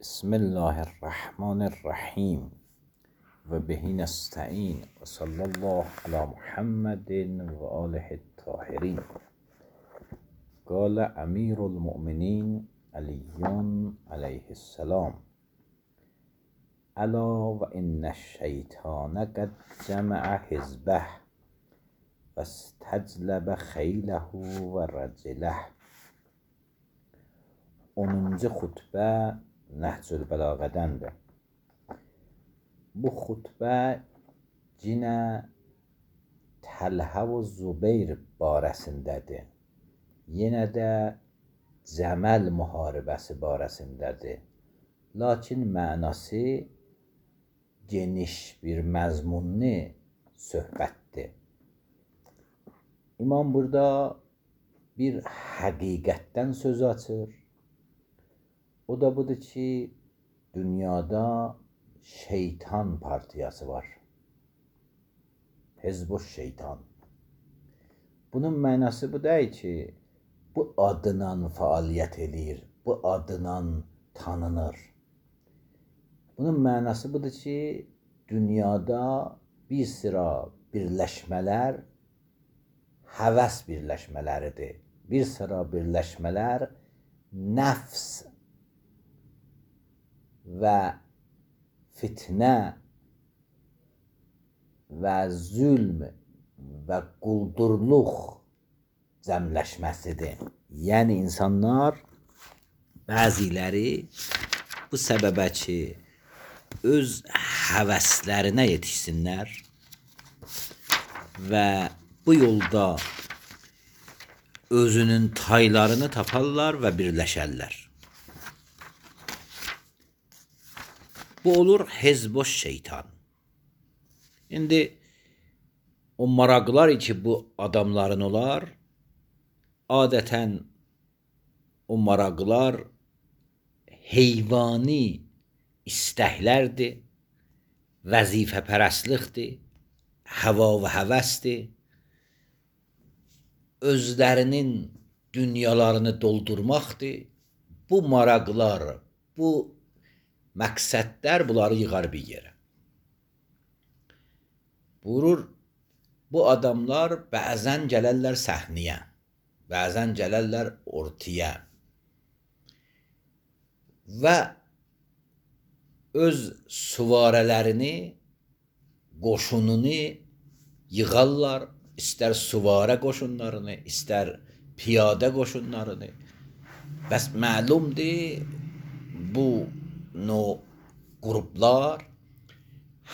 بسم الله الرحمن الرحیم و بهی نستعین و صلی الله علی محمد و آله الطاهرین. قال امیر المؤمنین علی علیه السلام: الا و ان الشیطان قد جمع حزبه و استجلب خیله و رجله. 10. xutbə Nəhcül Bəlağədəndir. Bu xutbə yenə Təlhə və Zübeyr barəsindədir. Yenə də Cəməl müharibəsi barəsindədir. Lakin mənası geniş bir məzmunlu söhbətdir. İmam burada bir həqiqətdən söz açır. O da budur ki, dünyada şeytan partiyası var. Hizb-ı şeytan. Bunun mənası bu deyil ki, bu adla fəaliyyət eləyir, bu adla tanınır. Bunun mənası budur ki, dünyada bir sıra birləşmələr həvəs birləşmələridir. Bir sıra birləşmələr nəfs və fitnə və zülm və quldurluq cəmləşməsidir. Yəni insanlar bəziləri bu səbəbə ki, öz həvəslərinə yetişsinlər və bu yolda özünün taylarını taparlar və birləşərlər. Bu olur Hizb-ı şeytan. İndi o maraqlar ki, bu adamların olar, adətən o maraqlar heyvani istəklərdir, vəzifəpərəstlikdir, həva və həvəsdir. Özlərinin dünyalarını doldurmaqdır. Bu maraqlar, bu məqsədlər bunları yığar bir yerə. Buyurur, bu adamlar bəzən gələrlər səhnəyə, bəzən gələrlər ortaya və öz süvarələrini, qoşununu yığarlar, istər süvarə qoşunlarını, istər piyadə qoşunlarını. Bəs məlumdur, bu qruplar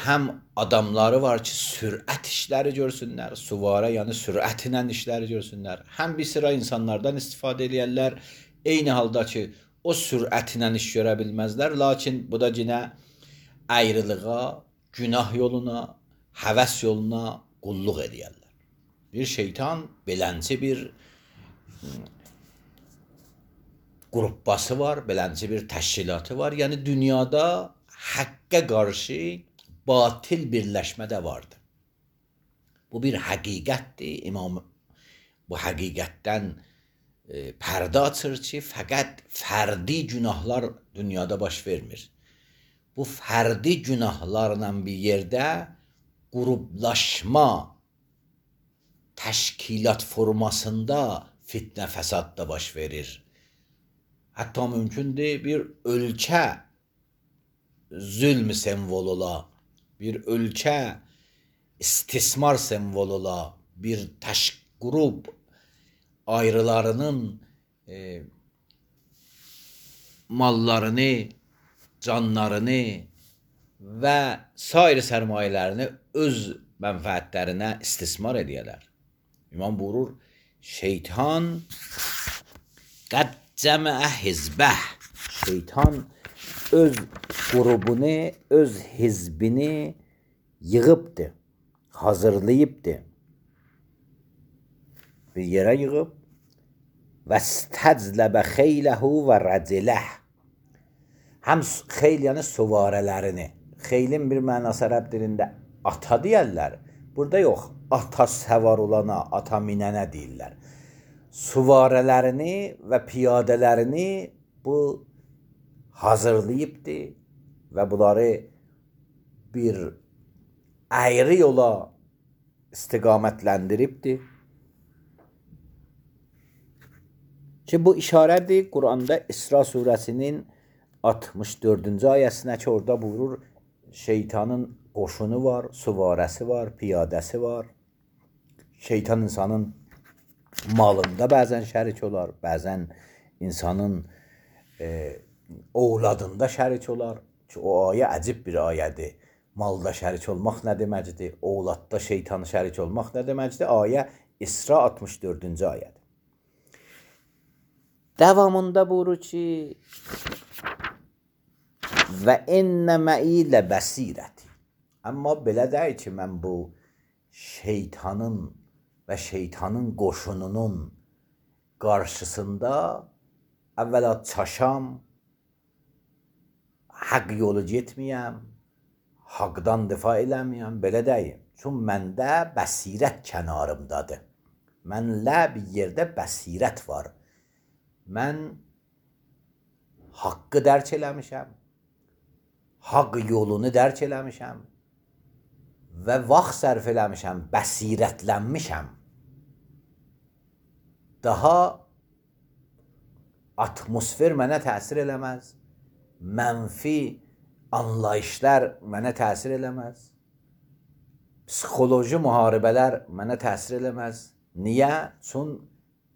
həm adamları var ki, sürət işləri görsünlər, süvarə yəni sürətlə işləri görsünlər. Həm bir sıra insanlardan istifadə edirlər, eyni halda ki, o sürətlə iş görə bilməzlər, lakin bu da yenə ayrılığa, günah yoluna, həvəs yoluna qulluq edirlər. Bir şeytan belənci bir qruppası var, belənci bir təşkilatı var. Yəni dünyada həqqə qarşı batil birləşmə də vardır. Bu bir həqiqətdir. İmam bu həqiqətdən pərdə açır ki, fəqət fərdi günahlar dünyada baş vermir. Bu fərdi günahlarla bir yerdə qruplaşma, təşkilat formasında fitnə fəsad da baş verir. Hətta mümkündür bir ölkə zülm simvol ola, bir ölkə istismar simvol ola, bir qrup ayrılarının mallarını, canlarını və sair sərmayələrini öz mənfəətlərinə istismar edərlər. İmam buyurur, şeytan qəd cəməə hizbəh. Şeytan öz qrubunu, öz hizbini yığıbdır, hazırlayıbdır. Bir yerə yığıb və istəcləbə xeyləhu və rəciləh. Həm xeyl yəni süvarələrini. Xeylin bir mənası ərəb dilində ata deyərlər. Burada yox, ata səvar olana, ata minənə deyirlər. Süvarələrini və piyadələrini bu hazırlayıbdı və bunları bir ayrı yola istiqamətləndiribdi. Ki bu işarədir Quranda İsra surəsinin 64-cü ayəsinə ki, orada buyurur, şeytanın qoşunu var, süvarəsi var, piyadəsi var. Şeytan insanın malında bəzən şərik olar, bəzən insanın ovladında şərik olar. Ki o ayə əcib bir ayədir. Malda şərik olmaq nə deməkdir? Ovladda şeytanı şərik olmaq nə deməkdir? Ayə İsra 64-cü ayədir. Davamında buyurur ki və ennə mə'i lə bəsirəti. Amma belə deyil ki, mən bu şeytanın və şeytanın qoşununun qarşısında əvvəla çaşam, haqq yolu getməyəm, haqdan difa eləməyəm, belə deyim. Çünki məndə bəsirət kənarımdadır. Mənlə bir yerdə bəsirət var. Mən haqqı dərk eləmişəm, haqq yolunu dərk eləmişəm və vaxt sərf eləmişəm, bəsirətlənmişəm. Daha atmosfer mənə təsir eləməz, mənfi anlayışlar mənə təsir eləməz, psixoloji müharibələr mənə təsir eləməz. Niyə? Çünki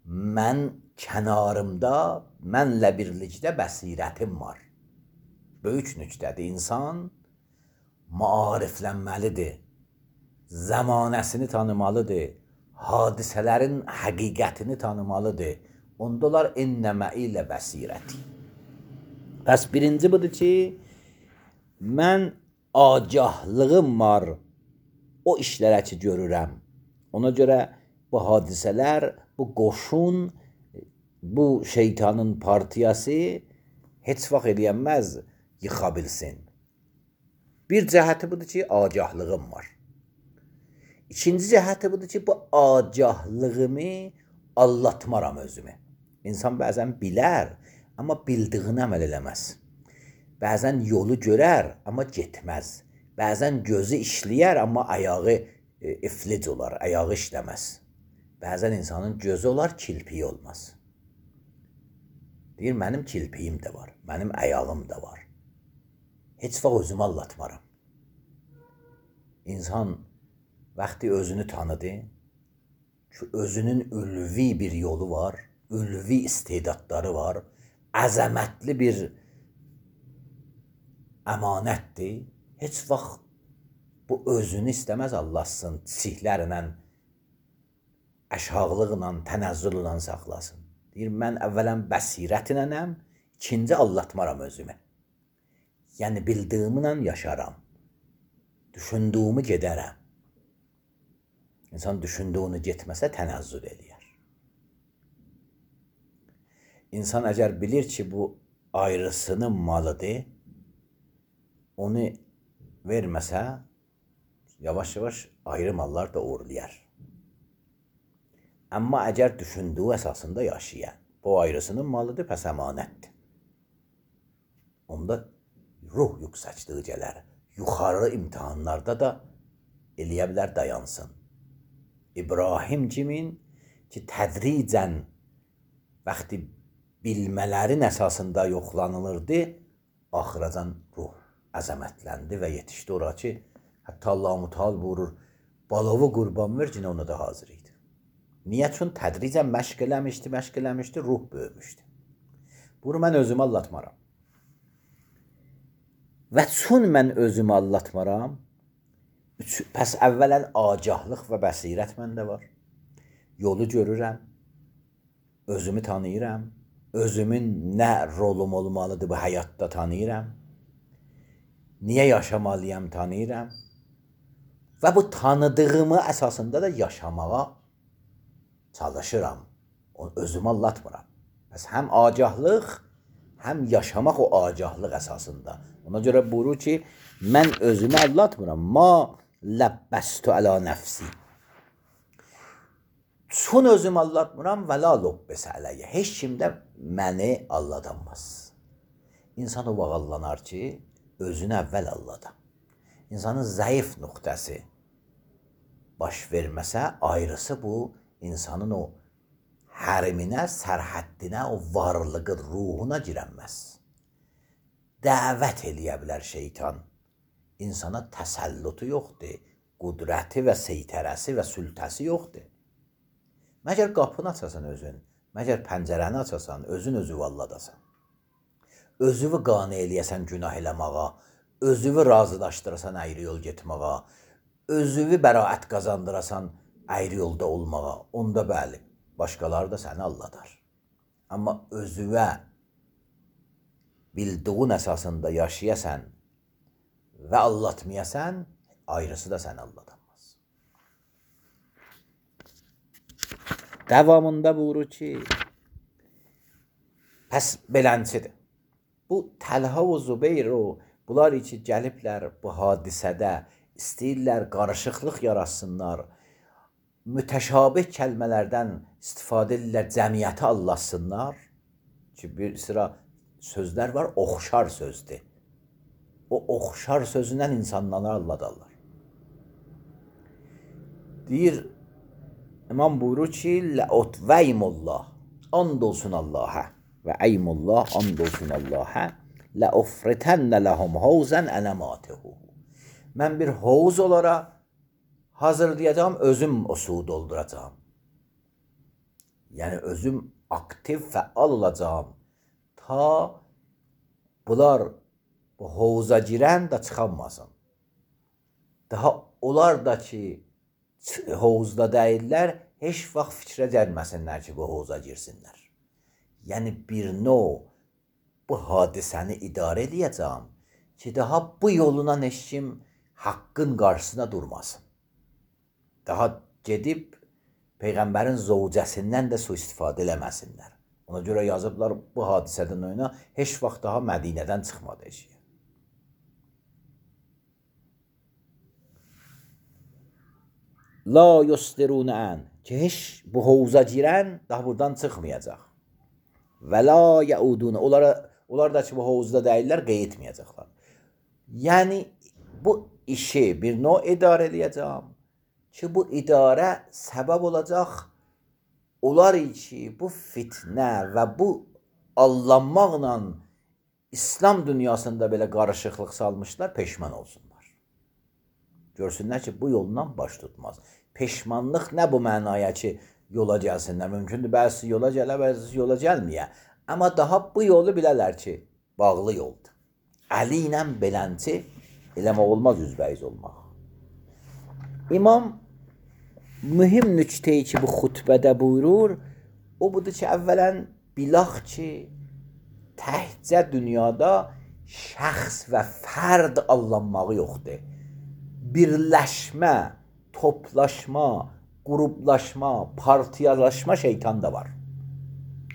mən kənarımda, mənlə birlikdə bəsirətim var. Böyük nüqtədir. İnsan maariflənməlidir, zəmanəsini tanımalıdır, hadisələrin həqiqətini tanımalıdır. Onda olar ennəmə ilə bəsirəti. Bəs birinci budur ki, mən agahlığım var o işlərə ki görürəm. Ona görə bu hadisələr, bu qoşun, bu şeytanın partiyası heç vaxt eləyənməz yıxa bilsin. Bir cəhəti budur ki, agahlığım var. İkinci cəhəti budur ki, bu agahlığımı allatmaram özümü. İnsan bəzən bilər, amma bildiyini əməl eləməz. Bəzən yolu görər, amma getməz. Bəzən gözü işləyər, amma ayağı iflic olar, ayağı işləməz. Bəzən insanın gözü olar, kilpiyi olmaz. Deyir, mənim kilpiyim də var, mənim ayağım da var. Heç vaxt özümü allatmaram. İnsan vaxtı özünü tanıdı ki, özünün ülvi bir yolu var, ülvi istedadları var, əzəmətli bir əmanətdir. Heç vaxt bu özünü istəməz Allahsın, çiçiklərlə, əşhaqlıqla, tənəzzüllə saxlasın. Deyir, mən əvvələn bəsirətinənəm, ikinci allatmaram özümü. Yəni, bildiyimlə yaşaram, düşündüyümü gedərəm. İnsan düşündüyünü getməsə tənəzzül eləyər. İnsan əgər bilir ki, bu ayrısının malıdır, onu verməsə, yavaş-yavaş ayrı mallar da uğurlayar. Amma əgər düşündüyü əsasında yaşayan, bu ayrısının malıdır, pəs əmanətdir. Onda ruh yüksəkliyi gələr. Yuxarı imtihanlarda da eləyə bilər dayansın. İbrahim kimin ki, tədricən vaxtı bilmələrin əsasında yoxlanılırdı, axıracan ruh əzəmətləndi və yetişdi ora ki, hətta Allah-u Teala buyurur, balovu qurban ver, yine ona da hazır idi. Niyə? Çünki tədricən məşq eləmişdi, ruh böyümüşdü. Bunu mən özümü allatmaram. Və çün mən özümü allatmaram, pəs əvvələn agahlıq və bəsirət məndə var. Yolu görürəm, özümü tanıyıram, özümün nə rolum olmalıdır bu həyatda tanıyıram, niyə yaşamalıyam tanıyıram və bu tanıdığımı əsasında da yaşamağa çalışıram, özümü allatmıram. Bəs həm agahlıq, həm yaşamaq o agahlıq əsasında. Ona görə buyurur ki, mən özümü allatmıram. Ma ləbbəstü əla nəfsi. Çün özümü allatmıram və la lobbəsə ələyyə. Heç kim də məni aldatamaz. İnsan o vaxt ki, özünü əvvəl allada. İnsanın zəif nöqtəsi baş verməsə, ayrısı bu, insanın o həriminə, sərhəddinə, o varlığı, ruhuna girənməz. Dəvət eləyə bilər şeytan. İnsana təsəllutu yoxdur, qudrəti və seytərəsi və sültəsi yoxdur. Məgər qapını açasan özün, məgər pəncərəni açasan, özü valladasan. Özüvü qane eləyəsən günah eləməğa, özüvü razılaşdırasan əyri yol getməğa, özüvü bəraət qazandırasan əyri yolda olmağa, onda bəli, başqaları da səni alladar. Amma özüvə bildiğin əsasında yaşayasən və allatmayasan, ayrısı da səni alladamaz. Davamında buyurur ki, pəs belənçidir. Bu Təlhə və Zübeyir bunlar ki gəliblər bu hadisədə istəyirlər qarışıqlıq yaratsınlar, mütəşabih kəlmələrdən istifadə edirlər, cəmiyyəti allasınlar ki, bir sıra sözlər var, oxşar sözdür. O oxşar sözündən insanları alladarlar. Deyir, İmam buyurur ki, Ləut və eymullah, and olsun Allah'a və eymullah, and olsun Allah'a, Ləufritənnə ləhum havzən ənəmatihu. Mən bir hovuz olaraq hazırlayacağım, özüm o suyu dolduracağım. Yəni özüm aktiv, fəal olacağım. Ta bunlar bu hovuza girən də çıxanmasın. Daha onlar da ki hovuzda deyirlər, heç vaxt fikrə gəlməsinlər ki, bu hovuza girsinlər. Yəni bir növ bu hadisəni idarə edəcəm ki, daha bu yoluna heç kim haqqın qarşısına durmasın. Daha gedib Peyğəmbərin zövcəsindən də sui-istifadə eləməsinlər. Ona görə yazıblar bu hadisədən oyuna heç vaxt daha Mədinədən çıxmadı eşiyə. La yusdirunən ki, heç bu hovuza girən daha buradan çıxmayacaq. Və la yaudun, onlar da ki, bu hovuzda deyirlər, qeyitməyəcəklər. Yəni, bu işi bir növ idarə edəcəm ki, bu idarə səbəb olacaq, onlar ki, bu fitnə və bu allanmaqla İslam dünyasında belə qarışıqlıq salmışlar, peşman olsunlar. Görsünlər ki, bu yoldan baş tutmaz. Peşmanlıq nə bu mənaya ki, yola gəlsinlər. Mümkündür, bəzisi yola gələ, bəzisi yola gəlməyə. Amma daha bu yolu bilərlər ki, bağlı yoldur. Əli ilə belənci eləmək olmaz, üzbəyiz olmaq. İmam mühim nüktəyi ki, bu xutbədə buyurur, o budur ki, əvvələn bilaq ki, təhcə dünyada şəxs və fərd allanmağı yoxdur. Birləşmə, toplaşma, qruplaşma, partiyalaşma şeytan da var.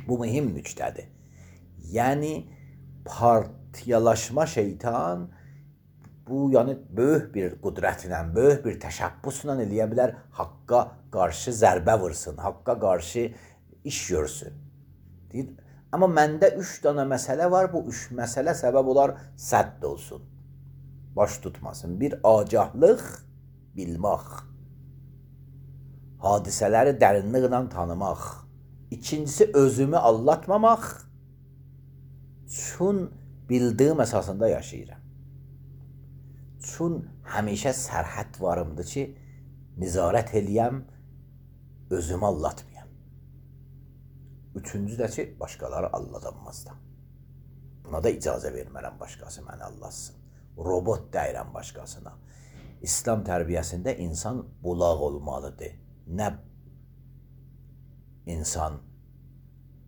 Bu mühim nüktədir. Yəni, partiyalaşma şeytan bu, yəni böyük bir qudrətlə, böyük bir təşəbbüslə eləyə bilər, haqqa qarşı zərbə vursun, haqqa qarşı iş görsün. Deyir, amma məndə 3 dana məsələ var, bu 3 məsələ səbəb olar sədd olsun. Baş tutmasın. Bir, agahlıq, bilmək. Hadisələri dərinliklə tanımaq. İkincisi, özümü allatmamaq. Çün bildiyim əsasında yaşayıram. Çün həmişə sərhəd varımdır ki, nizarət eləyəm, özümü allatmayam. Üçüncü də ki, başqaları alladanmazdı. Buna da icazə vermərəm başqası məni allatsın. Robot deyirəm başqasına. İslam tərbiyəsində insan bulaq olmalıdır. Nə insan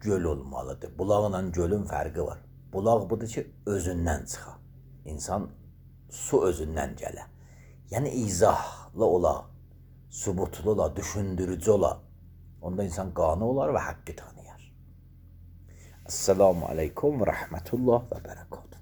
göl olmalıdır. Bulaqla gölün fərqi var. Bulaq budur ki, özündən çıxa. İnsan su özündən gələ. Yəni izahlı ola, subutlu ola, düşündürücü ola. Onda insan qanı olar və haqqı tanıyar. Esselamu aleykum və rəhmətullah və bərəkatuhu.